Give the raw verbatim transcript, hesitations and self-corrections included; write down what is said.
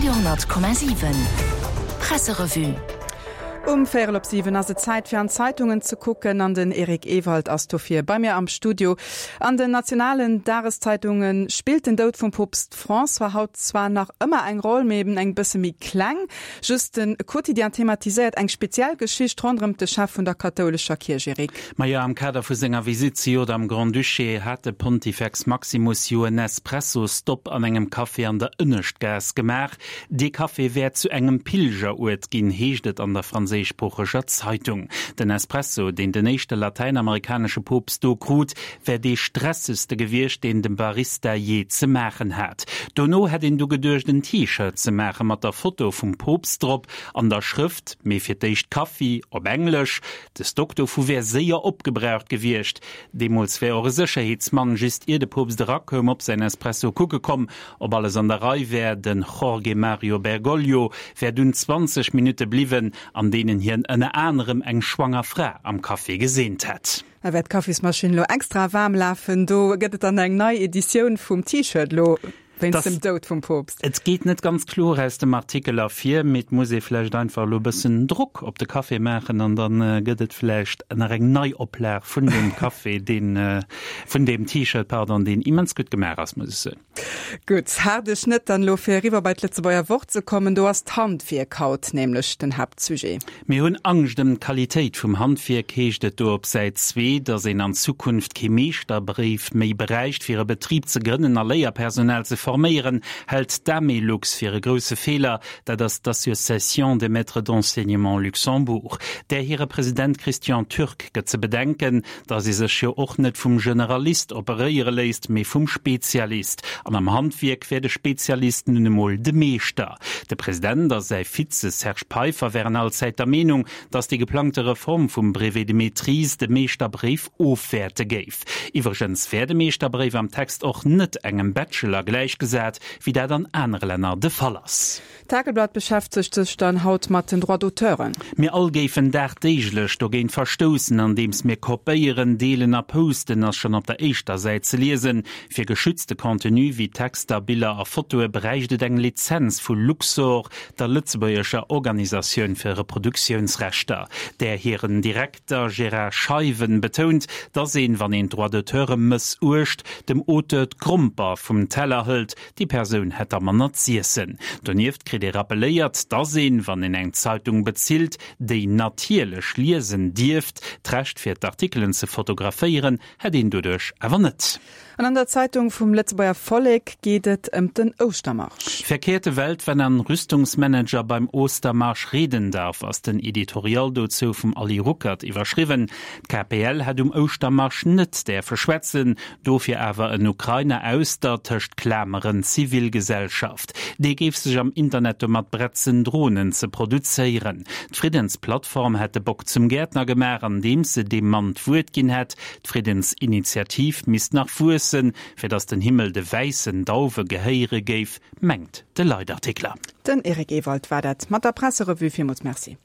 Radio honnert Komma siwen Presserevue. Um véierel op siwen ass et Zäit fir an d'Zeitungen ze kucken an den Eric Ewald ass dofir bei mir am Studio. An den nationalen Dageszeitunge spillt den Doud vum Poopst François haut zwar nach ëmmer eng Roll, mee eben eng bësse méi kleng. Just de Quotidien thematiséiert eng speziell Geschicht ronderëm de Chef vun der kathoulescher Kierch, Eric. Majo, am Kader vu senger Visitt zejoert am Grand-Duché hat de Pontifex Maximus jo en Espresso-Stopp an engem Café an der Ënneschtgaass gemaach. Dee Café wär zu engem Pilgeruert ginn, heescht et an der franséischsproocheger Zeitung. Den Espresso, deen den éischte latäinamerikanesche Poopst do krut, wär dee stressegste gewiescht, deen de Barista jee ze maachen hat. Dono hätt een du geduecht, en T-Shirt ze maache mat der Foto vum Poopst drop an der Schrëft Mee fir d'éischt Kaffi op Englesch. De Stock dovu wär séier opgebraucht gewiescht. Deemools wär och e Sécherheetsmann just ier de Poopst erakoum op säin Espresso kucke komm, ob alles an der Rei wär. Den Jorge Mario Bergoglio wär dunn zwanzeg Minutte bliwwen, an deenen hien ënner anerem eng schwanger Fra am Café geseent hätt. Da wäert d'Kaffismaschinn lo extra waarm lafen. Do gëtt et dann eng nei Editioun vum T-Shirt lo wéinst dem Doud vum Poopst. Et geet net ganz kloer aus dem Artikel ervir, mee et muss ee vläicht einfach elo e bëssen Drock op de Café maachen an da gëtt et vläicht nach eng Neioplag vun deem Café, deen, vun deem T-Shirt, pardon, deen immens gutt gemaach ass, muss ech soen. Gutt, haart Schnëtt dann elo fir eriwwer bei d'Lëtzebuerger Wort ze kommen. Do ass d'Handwierk haut nämlech den Haaptsujet. Mir hunn Angscht ëm d'Qualitéit vum Handwierk, heescht et do op Säit zwee. Datt een an Zukunft kee Meeschterbréif méi bräicht, fir e Betrib ze grënnen a Léierpersonal ze forméieren, hält d'Amelux fir e grousse Feeler. Dat ass d'Association des maîtres d'enseignement Luxembourg. Där hire President Christian Türk gëtt ze bedenken, datt ee sech jo och net vum Generalist operéiere léisst, mee vum Spezialist. An am Handwierk wär de Spezialist nun emol de Meeschter. De President a säi Vize Serge Peiffer wären allzäit der Meenung, datt déi geplangte Reform vum Brevet de maîtrise de Meeschterbréif ofwäerte géif. Iwwregens wär de Meeschterbréif am Text och net engem Bachelor gläichgesat, wéi dat an anere Länner de Fall ass. D'Tageblatt beschäftegt sech dann haut mat den Droits d'auteuren. Mir all géifen dagdeeglech dogéint verstoussen, andeems mir kopéieren, deelen a posten, ass schonn op der éischter Säit ze liesen. Fir geschützte Contenue wéi Texter, Biller a Fotoe bräicht et eng Lizenz vu Luxor, der lëtzebuergescher Organisatioun fir Reproduktiounsrechter. Där hiren Direkter Gérard Scheiwen betount, dass een, wann een d'Droits d'auteure mëssuecht, dem Auteur d'Gromper vum Teller hëlt, déi Persoun hätt da manner z'iessen. Donieft kritt ee rappeléiert, dass een, wann een eng Zeitung bezilt, déi natierlech liesen dierft. D'Recht fir d'Artikelen ze fotograféieren hätt een doduerch awer net. An an der Zeitung vum Lëtzebuerger Vollek geet et ëm den Ouschtermarsch. Verkehrte Welt, wenn ein Rüstungsmanager beim Ostermarsch reden darf, ass den Editorial dozou vum Ali Ruckert iwwerschriwwen. D'K P L hätt um Ouschtermarsch net däerfe schwätzen, dofir awer en Ukrainer aus der, tëscht Klameren, Zivilgesellschaft. Dee géif sech am Internet domat bretzen, Dronen ze produzéieren. D'Friddensplattform hätt de Bock zum Gäertner gemaach, andeems se deem Mann d'Wuert ginn hätt. D'Friddensinitiativ misst nach wuessen, fir datt den Himmel de wäissen Dauwe gehéiere géif, mengt de Leitartikler. Den Eric Ewald war dat mat der Presserevue. Villmools Merci.